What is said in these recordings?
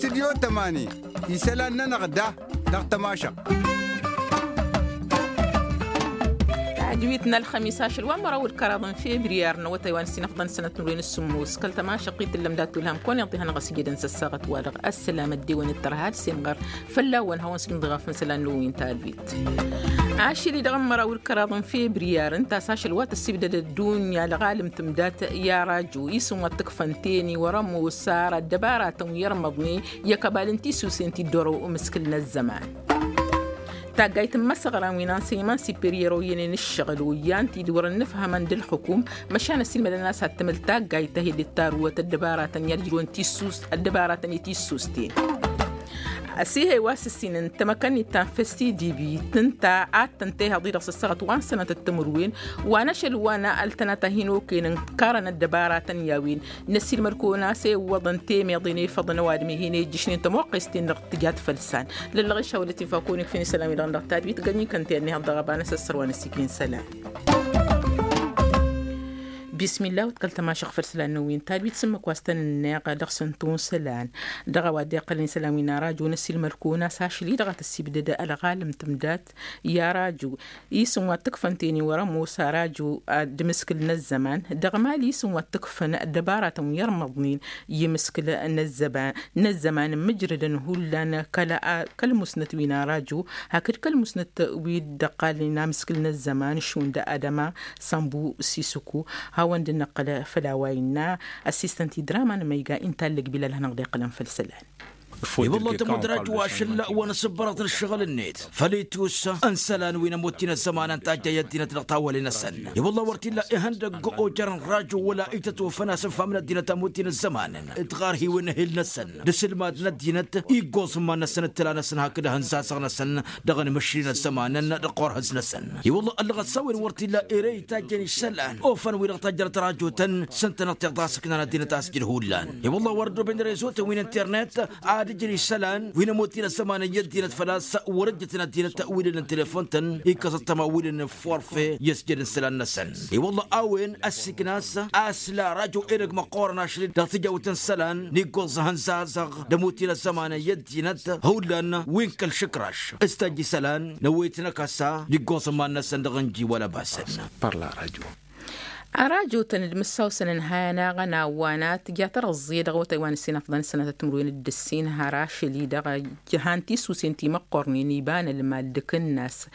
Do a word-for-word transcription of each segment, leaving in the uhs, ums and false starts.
Tidyo tămani isălan-nănăɣ da dăɣ-tămašăɣt. Tadwit n-ălxămis ašăl wa n-măraw d-kăraḍ n-febriyar n-awătay wa n-sinăfḍăn sănăt n-wen s-sǝmmos kăl-tămašăɣt i-tǝllăm dat-wǝlhăm kăwăn-iḍihănăɣ s-jădăn s-ăssaɣăt-wa-dăɣ ăssălam ăddewăn d-tărha d-semɣăr fălla-wăn hawăn-sǝgǝm dăɣ-afǝn isălan n-wen tadwit. Ašăl-i-dăɣ n-măraw d-kăraḍ n-febriyar ǝnta a-s ašăl wa tăssibdăd ăddunya ălɣalăm tǝmdat i-arajo isǝm wa t-ǝkfăn teni wăr-ămoos ara ăddăbaratăn wi ărmăḍnen i-ăkăbal n-tisusen ti dd-orăw umǝskǝl n-ăzzăman. Taggayt n-imăsăɣran wi n-ansăyman siperyero i-ănen ǝššăɣǝl oyyan ti dd-wăr-ănnǝfhămăn d-ǝlxǝkum măšan ăssiilmădăn a-s ad-tǝmǝl taggayt ta hi-dd-tarǝwăt ăddăbaratăn i-ad-ǝjrǝwăn tissus ăddăbaratăn i-tissusten. Ăsihăy wa s-ǝssin n-tamăkănnit ta n-festidibi tǝnta ad-tăn-tehăḍ-i-dăɣ s-ăssaɣăt wa n-sănătăt timǝrwen wa n-ašăl wa n-ăltănat a hin-okăyăn ǝnkarăn ăddăbaratăn i-a-wen. Năssiilmăd-kăwăn a-s ewwăḍăn temeḍe n-efăḍăn ăwadǝm-i hin-ejjǝšnen tămoqqes-ten-dăɣ tǝjat făll-isan. Lăllăɣ išawălăt-in făkun ikfǝn isălan-wi-dăɣ dăɣ-tadwit gănni kănten-ni hăḍ dăɣ-ăbanăs ăssăr wa n-ăssikin isălan. Bismillah wăt kăl-tămašăɣ făll-isălan n-wi n-tadwit s-ǝmmǝk wa s-tăn-ǝnneɣ dăɣ-săn tunsa isălan dăɣ-a-wa dd-iqqălăn isălan wi n-arajo n-ăssiilmăd-kăwăn a-s ašăl-i-dăɣ a tăssibdăd ălɣalăm tǝmdat i-arajo isǝm wa t-ǝkfăn teni wăr-ămoos arajo d-imǝskǝl n-ăzzăman dăɣ-mali isǝm wa t-ǝkfăn ăddăbaratăn wi ărmăḍnen i-imǝskǝl n-ăzzăman n-imǝjrădăn hullan kăl-musnăt wi n-arajo hakd kăl-musnăt wi dd-ăqqalnen amǝskǝl n-ăzzăman šund adăma sănbu sisǝku hawăn-dd-năqqǝl făll-a-wa innă ăssistăn-t-i draman măyga intallăg bilal ad-hanăɣ-dd-iqqǝlăn făll-isălan. I-wălla tămut rajo ašăl wa n-asǝbbărăḍ n-ǝššăɣǝl-net făl-itus n-isălan wi n-ămoot-in ăzzămanăn tajjăy ăddinăt dăɣ-tawăle-năsăn. I-wălla wăr t-illa ihăndăgg ojărăn rajo wăla itătwăfăn asǝnfam n-ăddinăt a ămoot-in ăzzămanăn d-ɣarhiwen n-ehil-năsăn d-asǝlmad n-ăddinăt iggoẓ iman-năsăn d-tǝla-năsăn hakd ahǝnzazăɣ-năsăn dăɣ-inmǝšri n-ăzzămanăn dăɣ-orhǝz-năsăn. I-wălla ăllăɣăt s-a-wen wăr t-illa ere itajjăn isălan ofăn wi-dăɣ tajjărăt rajotăn s-ǝntăneḍ tiɣḍa s-ǝknan ăddinăt a-s jǝd hullan. I-wălla wăr ăddooben rezotăn wi n-internet ad-ǝjrǝy isălan wi n-ămoot-in ăzzămanăn i-ăddinăt făl-a-s wăr-ǝjjǝtăn ăddinăt wi lǝlăn telefon-tăn ikkăẓăt tăma wi lǝlăn forfe i-ăsjădăn isălan-năsăn. I-wălla a-wen ăssiiknas a-s la rajo edăgg măqqoorăn ašăl-i dăɣ-tijawt n-isălan n-iggoẓ ihănzazăɣ d-ămoot-in ăzzămanăn i-ăddinăt hullan wi n-kăl-išǝkraš s-tajj isălan n-ăwwet n-akăsa n-iggoẓ iman-năsăn dăɣ-ǝnji wăla basăn. Parla rajo. Arajotăn d-imǝssawsăn ǝnhayăn aɣănaw wa n-ad-tǝja tărăẓẓe dăɣ-awătay wa n-ǝssin afḍăn sănătăt timǝrwen d-ǝssin har ašăl-i-dăɣ jăhan tisusen timăqqornen iba n-ălmal d-akǝnnas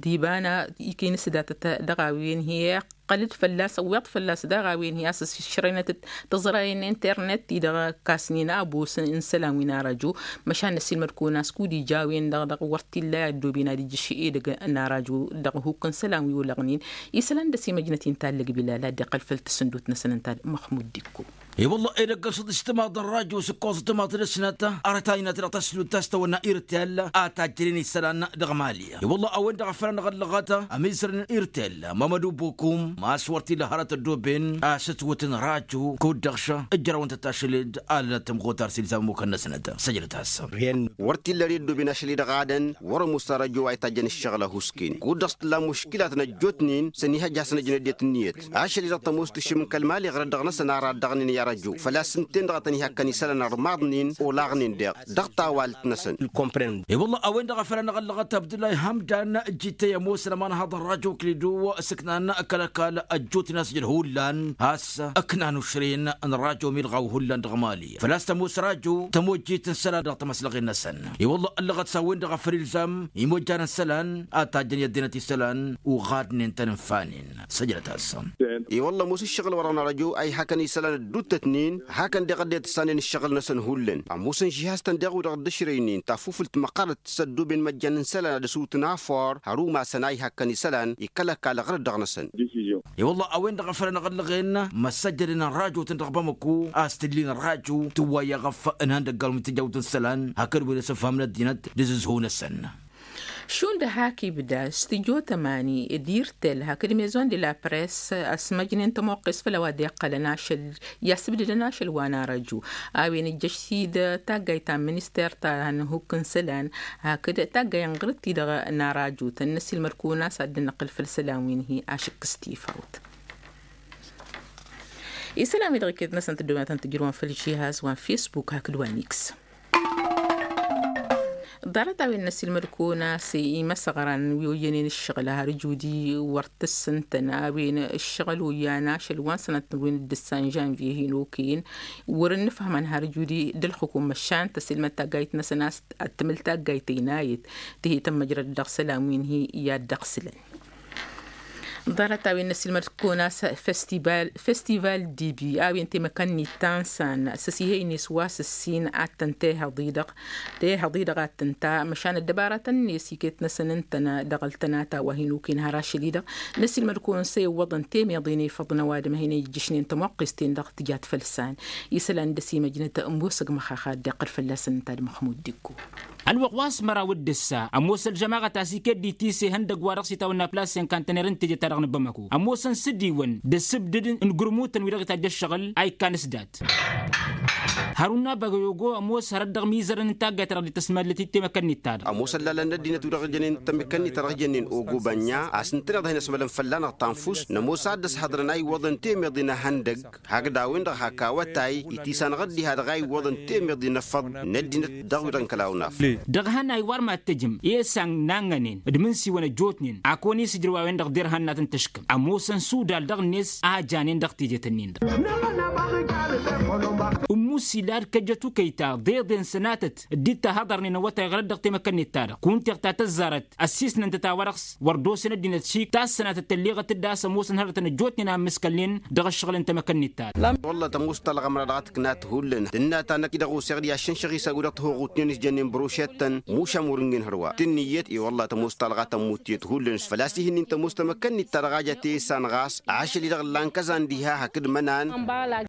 d-iba n-ikinǝsdatăt dăɣ-a-wen hi-iqqăl-dd fălla-s ăwweḍ fălla-s daɣ a-wen hi-a-s ǝššărăynăt-dd tǝẓrayen n-internet-i-dăɣ ăkkasnen abos n-isălan wi n-arajo. Măšan năssiilmăd-kăwăn a-s kud-ija a-wen-dăɣ dăɣ-wăr t-illa i-ăddooben ad-ijjǝš edăgg n-arajo dăɣ-ihukk n-isălan wi olăɣnen. Isălan d-ăsimăjnăt-i n-tallăg bilal ad-dd-iqqăl făll-tǝssǝndut-năsăn ǝnta d-măxmud d-ikko. I-wălla edăgg ălsăḍ ǝjtǝmaḍ n-rajo s-ǝkkoẓ ǝjtǝmaḍ dăɣ-snăt arătay-năt dăɣ-tăslut ta s-tawănna irtel a tajjănen isălan dăɣ-mali. I-wălla a-wen-dăɣ a făl anăɣ-ăllăɣăt ămizăr n-irtel mamădu bokum ma s-wăr t-illa hărăt ăddooben a-s ǝtwǝtăn rajo kud-dăɣ š-ǝjrăwăn-tăt ašăl-dd alănăt tămɣutar s-ilzam ămmukăn-năsnăt săjdăt-as. Wăr t-illa ăddooben ašăl-i-dăɣ adăn wăr-ămoos arajo wa itajjăn ǝššăɣǝl ăhuusken kud-dăɣ s-tǝlla muškilat n-ăjjootnen s-ănihăjja a-s năj n-ăddinăt ǝnniyăt. Ašăl-i-dăɣ tămoos tǝššǝm n-kăl-mali ɣărăt dăɣ-năsăn ara ăddăɣnen i-arăjju făl-a-s ǝnta-en-dăɣ a tăn-ihăkkăn isălan ărmaḍnen olaɣnen deɣ dăɣ-tawalt-năsăn. I-wălla a-wen-dăɣ a făl anăɣ-ăllăɣăt abdullah hamdan. Jittăy ămoosăn ămanhăḍ n-rajo kǝlidu s-ǝknan kăl-ăkall ăjjootnen a-s jăd hullan a-s ǝknan ušren n-rajo milɣaw hullan dăɣ-mali făl-a-s tămoos rajo tămojjit n-isălan dăɣ-tamăslăɣen-năsăn. I-wălla ăllăɣăt s-a-wen-dăɣ a făl ilzam imojjan n-isălan ad-tajjăn i-ăddinăt isălan uɣadnen-tăn ǝnfanen. Săjdăt-as. I-wălla ămoos ǝššăɣǝl wăr-ănarăjo a ihakăn isălan ădduuttătnen hakăn deɣ ăddinăt ǝssanen ǝššăɣǝl-năsăn hullan ămoosăn žihaz-tăn deɣ wi-dăɣ dd-ăšrăynen tafufǝlt măqqărăt s-ăddooben măjjan n-isălan ad-ăsutǝn afăr har umasăn a ihakăn isălan i-kăl-ăkall ɣărăt dăɣ-năsăn. I-wălla a-wen-dăɣ a făl anăɣ-ăllăɣen măssăjjădăn n-rajotăn dăɣ-bamăku a-s tǝllin rajo tǝwway eɣăf n-ihăndăggan wi tǝjjawt n-isălan hakd wi n-asǝnfam n-ăddinăt d-azǝzhu-năsăn. Šund hak ibda stujo tămani d-irtel hakd maison de la press ăsmăjnen tămoqqes făll-a-wa dd-iqqălăn ašăl i-asǝbdǝdăn ašăl wa n-arăju a-wen ǝjjăš-t-dd taggayt ta n-minister ta n-hukk n-isălan hakd taggay n-ɣǝrǝt-ti-dăɣ n-arajutăn n-ăsilmăd-kăwăn a-s ad-dd-năqqǝl făll-isălan wi n-hi-ašǝkkǝs tifawt. Isălan-wi-dăɣ iket-năsăn tǝddǝwăn ad-tăn-tǝjrǝwăn făll-žihaz wa n-facebook hakd wa n-x. Ḍarăt a-wen n-ăsilmăd-kăwăn a-s imăsăɣran wi oyyănen ǝššăɣǝl har ǝjudi wăr t-ǝssǝntăn a-wen ǝššăɣǝl oyyan ašăl wa n-sănatăn wi n-dd-ǝssan žanvye hin-okăyăn wăr-ǝnnǝfhămăn har ǝjudi d-ălxukum măšan tăsilmăd taggayt-năsăn a-s ad-tǝmǝl taggayt ăynayăt. Tihităn măjrăd dăɣ-isălan wi n-hi i-ad-dd-ăɣsǝlăn. Ḍarăt a-wen n-ăsilmăd-kăwăn a-s festival d-ibi a-wen temăkăn n-ittan s-an s-ăsihăynen s-wa s-ǝssin ad-tăn-tehăḍ-i-dăɣ tehăḍ-i-dăɣ ad-tăn-ta măšan ăddăbarătăn-net iket-năsăn ǝntănă dăɣ-ăltănata wa hin-okăyăn har ašăl-i-dăɣ. N-ăsilmăd-kăwăn s-e iwwăḍăn temăḍe n-efăḍ n-ăwadǝm a hin-ijjǝšnen tămoqqes-ten-dăɣ tǝjat făll-san isălan d-ăsimăjnăt ămoosăg măxaxa dd-iqqăl fălla-săn ǝnta d-măxmud d-ikko. Ălwăqq wa s-măraw d-ǝssa ămoos ălžămaɣăt a-s iket d-itis ihăndăgg-wa-dăɣ s-itawănna plas senkantăner n-teje-ta-dăɣ n-bamăko ămoosăn s-dd-iwăn d-asǝbdǝd n-igǝrmutăn wi-dăɣ itajj ăššăɣǝl a ikkan s-dat. Hăruna băgăyogo ămoos hărăt dăɣ-mizărăn n-taggayt-ta-dăɣ dd-tăsmăllăt i-temăkănnit-ta-dăɣ. Ămoos ăllalăn n-ăddinăt wi-dăɣ jănen temăkănnit-ta-dăɣ jănnen ogo bănna a-s ǝntăneḍ a hin-ăsmălăn fălla-năɣ tanfust nămoos ad-dd-ăshăḍrăn a iwwăḍăn temăḍe n-ehăndăgg hakd a-wen-dăɣ hak awătay itisanăɣ-dd iha-dăɣ a iwwăḍăn temăḍe n-efăḍ n-ăddinăt dăɣ-wi-dăɣ n-kăla unaf. Dăɣ-ehăn a iwar mad-tejăm i-esan n-angănen d-imǝnsiwăn ăjjootnen a kăwăn-isǝjrǝw a-wen-dăɣ derhan n-ad-tăn-tǝškǝm ămoosăn sudal dăɣ-net a janen dăɣ-tejet-nin-dăɣ. Ǝmmusi lad kăjăt ukăyta deḍen sănatăt dd-tahăḍărnen awătay ɣărăt dăɣ-temăkănnet-ta-dăɣ kunta iɣta tăzzarăt ăssisnăn-tăt a-wa dăɣ-s wăr d-osen ăddinăt šik ta s-sănatăt tălleɣăt-dd a-s ămoosăn hărătăn ăjjootnen a ǝmmǝskălnen dăɣ-ǝššăɣǝl n-temăkănnet-ta-dăɣ. Wălla tămoos talɣa măra dăɣ-ad-tǝknat hullan tǝnna ta năkk-i-dăɣ oseɣ-dd i-ad-šănšăɣ isawǝd dăɣ-tihăɣutnen s-jănnen bărošet-tăn mušam wăr-ǝnnin hărwa tǝnniyăt i-wălla tămoos talɣa tămmut tiyyăt hullan s-făl-a-s ih'-ǝnnin tămoos temăkănnit-ta-dăɣ a ja tesan ɣas ašăl-i-dăɣ ǝllan kăzan diha hakd mănan.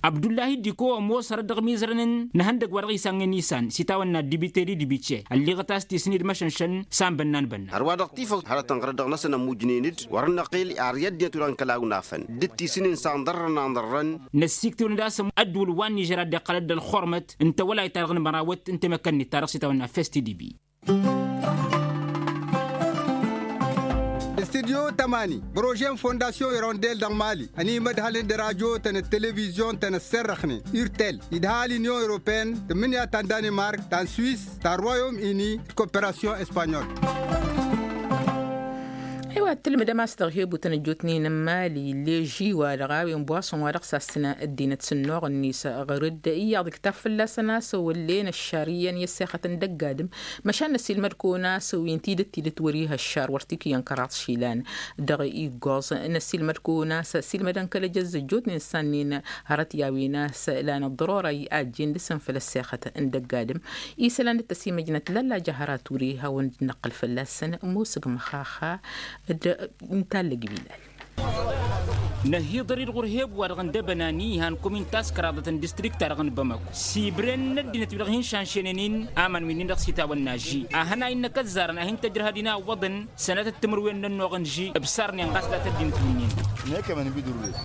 Abdullahi diko ămoos hărăt dăɣ-imizărăn n-ihăndăgg wa dăɣ-isannăyăn isan s-itawănna dibiteri dibice ălliɣăt a-s tisǝn-dd măšănšăn s-anbănna n-bănna. Hărwa-dăɣ tifăw hărătăn ɣărăt dăɣ-năsăn ămmujnen-dd wăr-năqqel ar i-ăddinăt wi-dăɣ n-kăla awnafăn dd-tisǝn-in s-anḍărrăn anḍărrăn. Năssiiktǝwăn-dd a-s ăddǝwǝl wa n-nižer a dd-iqqălăt d-ălxurmăt n-tawălayt-ta-dăɣ n-mărawăt n-temăkănnit-ta-dăɣ s-itawănna festi dibi. Studyo tămani bărože n-fondasyon irondel dăɣ-mali ănimădhălăn d-rajotăn d-televizyon-tăn ăsserrăxnen urtel idhal inyon europeen tǝmmǝnǝya ta n-danimark ta n-swis ta n-royom ini d-koperasyon espanyol. Ewa tǝlmǝdăm a-s dăɣ-hebutăn ăjjootnen n-mali leži-wa-dăɣ a-wen bwason wa dăɣ-sassǝnă ăddinăt s-ănnuɣ-net ɣur-dd iyyăḍ iktab fălla-săn a-s ăwăllen ăššar iyyăn i-ăssexăt n-dăgg-adǝm. Măšan năsilmăd-kăwăn a-s wi n-tidǝt tidǝt wăr-ih ăššar wăr t-ikǝyăn kăraḍ išilan dăɣ-iggoẓ. Năsilmăd-kăwăn a-s silmădăn kăl-ejăzz ăjjootnen s-annin hărăt i-a-wen a-s lan ăḍḍărora i-ajjen dăɣ-săn făll-ăssexăt n-dăgg-adǝm. Isălan d-tăsimăjnăt lalla jăhăra ture hawăn-dd-năqqǝl fălla-săn musǝg măxaxa d-intallăg bilal. Năhiḍăr-dd ɣur-hebu-wa-dăɣ n-dăbănani ihan komin taskăraḍăt n-distrikt-ta-dăɣ n-bamako s-ibren n-ăddinăt wi-dăɣ hin-šanšenen-in aman wi-nin-dăɣ s-itawănna ži a hănay n-akăzzarăn a hin-tăjrăhăd-in a ǝwwăḍăn sănatăt timǝrwen n-ănnuɣ n-ži ǝbsarnen ɣas dat-ăddinăt wi-nin-dăɣ.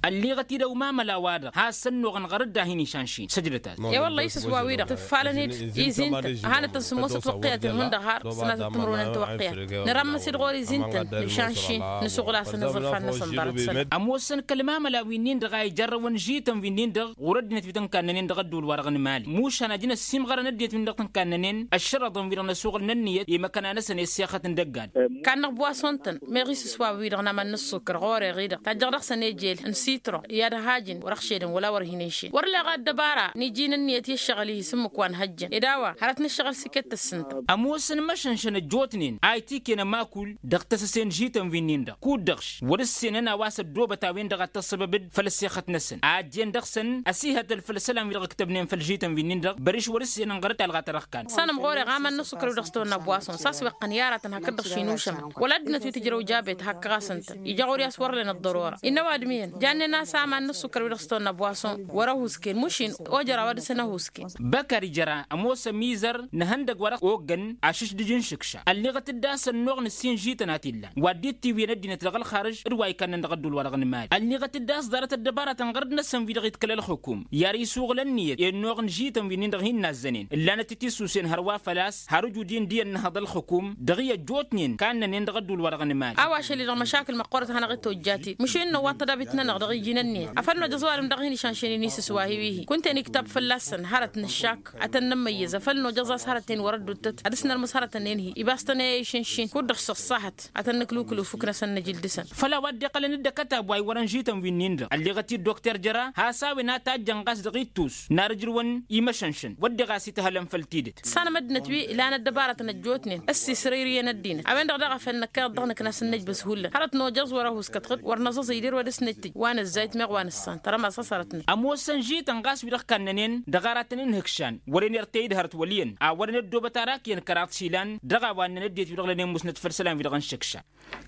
Ălliɣăt-dd ăwmamăla-wa-dăɣ has-ănnuɣăn ɣărăt d-ad-hin-išanšin săjdăt-as. E-wălla isǝs wa-wi-dăɣ tǝffalăn-dd izin-tăn hanăt-tăn-sǝmmosăt wăqqiyăt n-hundăɣ har sănatăt timǝrwen n-tiwăqqiyat nărămmăs-dd ɣur-izin-tăn nǝšanšin nǝsuɣǝl-asăn iẓǝrfan-năsăn ḍarăt-săn. Ămoosăn kăl-mamăla wi-nin-dăɣ a ijărrăwăn žităn wi-nin-dăɣ ɣur-ăddinăt wi tăn-kannănen dăɣ-ădduul-wa-dăɣ n-imali mušan ajăn ăssimɣărăn ăddinăt wi-nin-dăɣ tăn-kannănen ăššărăḍăn wi-dăɣ n-asuɣǝl n-ǝnniyăt i-imăkăna-năsăn i-ăssexăt n-dăgg-ad. Kannăɣ bwason-tăn meɣ isǝs wa wi-dăɣ n-aman n-ǝssukǝr ɣur-e-ɣi-dăɣ tajjăɣ dăɣ-săn ejel n-sitron i-ad-hajǝn wăr-ăxšedăn wăla wăr hin-enšen wăr leɣ ăddăbara n-iji n-ǝnniyăt i-ăššăɣǝl-i s-ǝmmǝk wa n-hăjjăn ed a-wa hărăt n-ǝššăɣǝl s-iket tǝssǝntăm. Ămoosăn imăšănšăn ăjjootnen a itiken ămakul dăɣ-tăsăse n-žităn wi-nin-dăɣ kud-dăɣ š-wăr-ǝssenăn a-wa s-ăddoobăt a-wen-dăɣ ad-tăssăbăbăd făll-ăssexăt-năsăn a ăjjeen dăɣ-săn ăsihătăl făll-isălan wi-dăɣ ǝktăbnen făll-žităn wi-nin-dăɣ băriš wăr-ǝssenăn ɣărăt talɣa ta dăɣ-kan. Ăssanăm ɣur-e ɣamăn n-ăssukăr wi-dăɣ s-tăwănna bwason s-a-s weqqăn i-aratăn hakd-dăɣ šin ušămăn wăla ăddinăt wi tǝjrăw jabet hakkăɣ-asăn-tăn ija ɣur-i a-s wăr-len ăḍḍărora innă ăwadǝm iyyăn jannen a-s aman n-ăssukăr wi-dăɣ s-tăwănna bwason wăr-ăhusken mušin ojăr a-wa dăɣ-săn ăhusken. Băkar ijăra ămoos ămizăr n-ihăndăgg wa dăɣ-oggăn ašǝšdǝj n-išǝkša ălliɣăt-dd a-s ănnuɣ n-ǝssin žităn a t-illan wa dd-tiwǝyăn ăddinăt dăɣ-ălxarǝž d-wa ikannăn dăɣ-ădduul wa dăɣ-nǝmali. Ănniɣăt-dd a-s ḍarăt ăddăbaratăn ɣărăt-năsăn wi-dăɣ itkăl ălxukum i-ar isuɣǝl ănniyăt i-ănnuɣ n-žităn wi-nin-dăɣ hin-nazzănen ǝllanăt-t isusen hărwa făl-a-s har ǝjud-in d-iyyăn n-ehăḍ ălxukum dăɣ-i ăjjootnen kannănen dăɣ-ădduul-wa-dăɣ n-imali. A-wa ašăl-i-dăɣ măšakǝl măqqoorăt a hanăɣ-dd-tojjat-i măšin n-ăwwaḍ tădabit-nănăɣ dăɣ-iji n-ǝnniyăt afăl nojăẓ ăwadǝm dăɣ-hin-išănšănen isǝswa-hi wi-hi kunta-en iktăb fălla-săn hărăt nǝššak ad-tăn-nǝmmăyyăz afăl nojăẓ a-s hărăt-en wăr-ădduttăt ad-dăr-s nărmǝs hărăt-ǝnnin-hi ibas-tăn i-išǝnšin kud-dăɣ s-ăṣṣahăt ad-tăn-nǝklǝw kǝlǝw fukk-năsăn nǝjǝl dăɣ-săn. Făll-a-wa dd-iqqălăn d-ăkătab wa iwărăn žităn wi-nin-dăɣ ălleɣăt-dd dokter jăra has-a-wen a tajjăn ɣas dăɣ-ittus n-ar ǝjrǝwăn imăšănšăn wădden ɣas ităhălăn făll-tidǝt. Tǝssanăm ăddinăt wi lan ăddăbarătăn ăjjootnen ăssisrăyrǝyăn ăddinăt a-wen-dăɣ daɣ a făl năkkeḍ dăɣ-nǝkna s-ǝnnăj băshullan hărăt nojăẓ wăr-ăhusg kătɣǝd wăr năẓăẓ ider wa dăr-s nǝttǝj wa nǝzzayt meɣ wa nǝssan tărămas a-s hărăt-năt. Ămoosăn žităn ɣas wi-dăɣ kannănen dăɣ-aratăn n-ihǝkšan wăren irtey d-hărăt wăl' iyyăn a wărăn ăddoobăt arak iyyăn kăraḍ s-ilan dăɣ-a-wa ǝnnăn ăddinăt wi-dăɣ lănen musnăt făll-isălan wi-dăɣ n-išǝkša.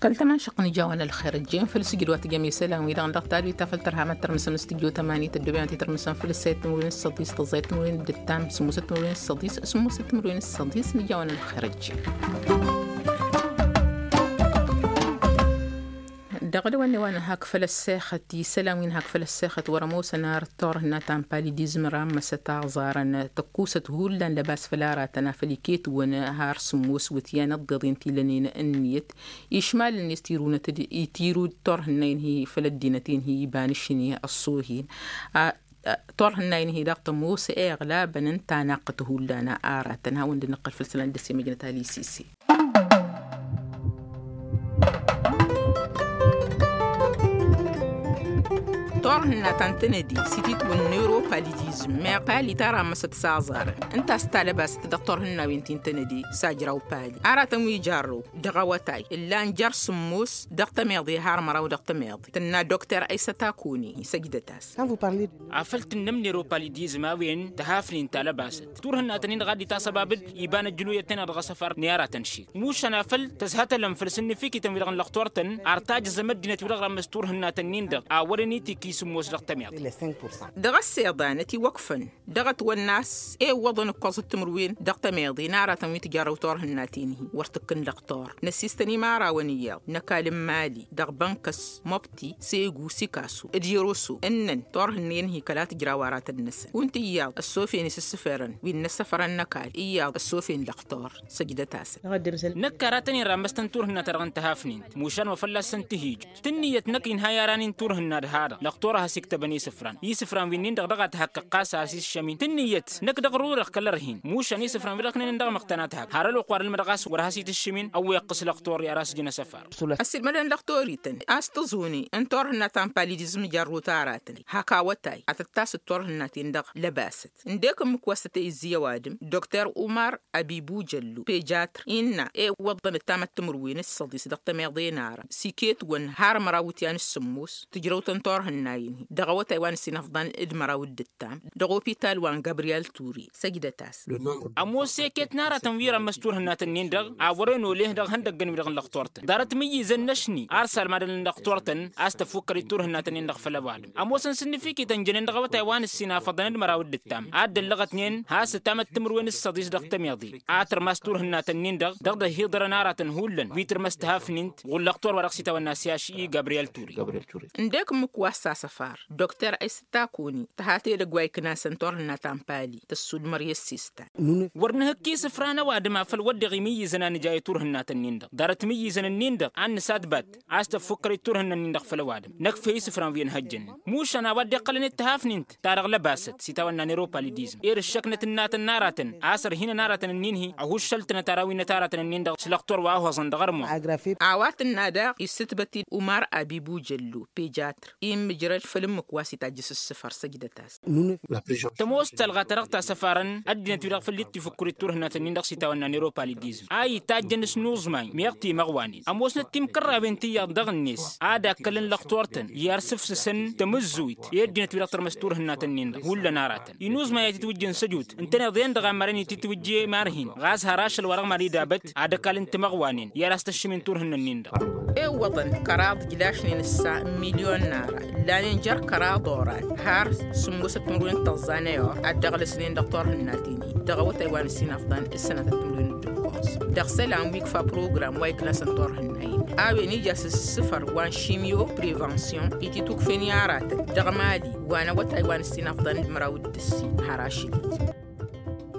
Kăl-tămašăq n-ija wa n-ălxer ăjjeen făll-sǝjǝd wa tǝjăm i-isălan-wi-dăɣ dăɣ-talwit ta făll-tărha mad-tărmǝsăm s-tǝjjăw tămani tăddoobem ad-t-tărmǝsăm făll-ǝssayăt timǝrwen s-săḍis tăẓẓayăt timǝrwen d-ǝttam sǝmmosăt timǝrwen s-săḍis sǝmmosăt timǝrwen s-săḍis n-ija wa n-ălxer ăjjeen. Dăɣ-dăwănne wa n-hak făll-ăssexăt isălan wi n-hak făll-ăssexăt wăr-ămoosăn ar turhǝnna ta n-palidizm rammăsăt aẓarăn tăkkusăt hullan lăbas făll-aratăn afăl iket-wăn har sǝmmos wǝtyan ăḍḍeḍen ti lănen ǝnniyăt išmal-net tirunăt-dd itirud turhǝnna-in-hi făll-ăddinăt-in-hi iba n-ašni ăṣṣo-hin. Turhǝnna-in-hi daɣ tămoos iɣlabăn n-tanaqqăt hullan aratăn hawăn-dd-nǝqqăl făll-isălan d-ăsimăjnăt alisisi. Turhǝnna ta n-tănădi s-ititwǝn n-europa lidizm meɣ pali ta rammăsăt s-aẓarăn ǝnta a-s talăbasăt dăɣ-turhǝnna wi n-ti n-tănădi s-ajraw pali aratăn wi jarrăw dăɣ-awătay ǝllan jer-sǝmmos dăɣ-tămiḍe har măraw dăɣ-tămiḍe tǝnna dokter aysăt akuni săjdăt-as. Afăl tǝnnăm n-eropalidizm a-wen tăhafnen talăbasăt turhǝnna tănnin-dăɣ ad-dd-itasăbabăd iba n-ăjjǝnuyăt-ten-dăɣ dăɣ-asăfar n-i aratăn šik mušan afăl tăzhătălăm făll-sǝnnǝfikităn wi-dăɣ n-lăxtor-tăn ar tajǝẓăm ăddinăt wi-dăɣ rămmăs turhǝnna tănnin-dăɣ a wărăn itikki sǝmmos dăɣ-tămiḍe. Dăɣ-ăssiḍanăt iwăkfăn dăɣ-ătwănna a-s ewwăḍăn ǝkkoẓăt timǝrwen dăɣ-tămiḍe n-aratăn wi tǝjarrăw turhǝnna-ten-hi wăr tǝkkǝn lăxtor năsistăn imărawăn iyyăḍ n-ăkall n-mali dăɣ-bănkăs mobti segu sikasu d-iroso ǝnnăn turhǝnnen-hi kăla tǝjraw aratăn-năsăn kunta iyyăḍ ăssofen isǝssǝfărăn wi n-inăssăfărăn n-ăkall iyyăḍ ăssofen lăxtor săjdăt-asăn. Năkk aratăn-in rammăstăn turhǝnna-ta-dăɣ n-tăhafnint mušan wa fălla-săn tǝhij tǝnniyăt năkk inha i-aranin turhǝnna d-ha-dăɣ lăxtor a has-iktăbăn isǝfran isǝfran wi-nin-dăɣ dăɣ-a tăhăqqăɣ ɣas a has-iššămin tǝnniyăt năkk dăɣ-rurăɣ kăl-ărhin mušan isǝfran wi-dăɣ ăknănen dăɣ-măɣtănat hak har ălwăqq wa d-ălmădăɣ a-s wăr has-itǝššǝmin ăwweɣ-t s-lăxtor i-ar asǝjǝn asăfar. Ăssiilmădăn lăxtor-ităn a-s tăẓune n-turhǝnna ta n-palidizm jarrut aratăn hak awătay ad-tăt-tasǝt turhǝnna-ten-dăɣ lăbasăt ǝndek ǝmmǝk wa s-tăt-e-izzǝy ăwadǝm dokter umar abibu jăllu pejatr innă ewwăḍăn ǝttamăt timǝrwen s-săḍis dăɣ-tămiḍe n-ara s-iket-wăn har măraw wǝtyan s-sǝmmos tǝjrăw-tăn turhǝnna-in-hi dăɣ-awătay wa n-ǝssin afḍăn d-măraw d-ǝttam dăɣ-opital wa n-gabriyel ture săjdăt-as. Ămoos eket n-aratăn wi rămmăs turhǝnnat-nin-dăɣ a wăren oleh dăɣ-ihăndăggăn-wi-dăɣ n-lăxtor-tăn ḍarăt imǝyyǝzăn n-ašni ar salmadăn n-lăxtor-tăn a-s tăfukkăr-dd turhǝnnat-nin-dăɣ făll-ăwadǝm ămoosăn s-ǝnnǝfikităn jănen dăɣ-awătay wa n-ǝssin afăḍăn d-măraw d-ǝttam a dd-ăllăɣătnen has-ǝtamăt timǝrwen s-săḍis dăɣ-tămiḍe a tărmas turhǝnnat-nin-dăɣ dăɣ-dd-ăhhiḍărăn aratăn hullan wi tǝrmăs tihafnint ɣur-lăxtor wa dăɣ-s itawănna s-i-ašǝyyi gabriyel ture. Dăɣ-ǝmmǝk wa s-asăfar dokter aysăt takuni tăhat edăgg wa iknasăn turhǝnna ta n-pali tăssudmăr i-ăssistan. Wăr nǝhǝkk isǝfra n-ăwadǝm afăl wădden imǝyyǝzăn a nǝja i-turhǝnnat-nin-dăɣ ḍarăt imǝyyǝzăn-nin-dăɣ a n-nǝsadbat a-s tăffukkăr-dd turhǝnna-nin-dăɣ făll-ăwadǝm năkf' i-isǝfran wi ănhăjjănen mušan a-wa dd-iqqălăn d-tihafnint ta dăɣ-lăbasăt s-itawănna n-eropalidizm ed ǝššăknăt ǝnnatăn n-aratăn a-s ărhinăn aratăn-nin-hi ăhuššăl-tănăt arraw-inăt aratăn-nin-dăɣ s-lăxtor wa ăhuhăẓăn dăɣ-ărmon. A-wa tǝnna daɣ issǝtbăt-dd umar abibu jăllu pejatr immǝjrăd făll-ǝmmǝk wa s-itajjǝs ǝssǝfăr săjdăt-as. Tămoos talɣa ta dăɣ-tasăfarăn ăddinăt-wi-dăɣ făll-dd-tifǝkkǝr-dd turhǝnnat-nin-dăɣ s-itawănna n-eropalidizm a itajjăn s-inuẓmay meɣ timăɣwanen ămoosnăt timkărrawen ti iyyăḍ dăɣ-net ad-akkălăn lăxtor-tăn i-arsǝfsǝsăn tamǝzzuyt i-ăddinăt-wi-dăɣ tărmăs turhǝnnat-nin-dăɣ hullan aratăn inuẓmay a itǝtwǝjjăn săjut ǝntăneḍ-en-dăɣ a mărăn itǝtwǝjje imarhin ɣas har ašăl wa dăɣ-mari d-abăt ad-ăkall n-timăɣwanen i-ad-as-tăššǝmin turhǝnna-nin-dăɣ. Iwwăḍăn kăraḍ ǝjlašnen ǝssa n-milyon n-ara ǝllanen jer-kăraḍ oran har sǝmmosăt timǝrwen d-tăẓẓa n-ayor ad-dd-ăɣlăsnen dăɣ-turhǝnnaten-hi dăɣ-awătay wa n-ǝssin afḍăn d-sănatăt timǝrwen d-ǝkkoẓ dăɣ-isălan wi ikfa program wa iknasăn turhǝnna-in-dăɣ. a-wen ija s-ǝssǝfăr wa n-šimyo prevension i-titukfen i-aratăn dăɣ-mali wa n-awătay wa n-ǝssin afḍăn d-măraw d-ǝssin har ašăl.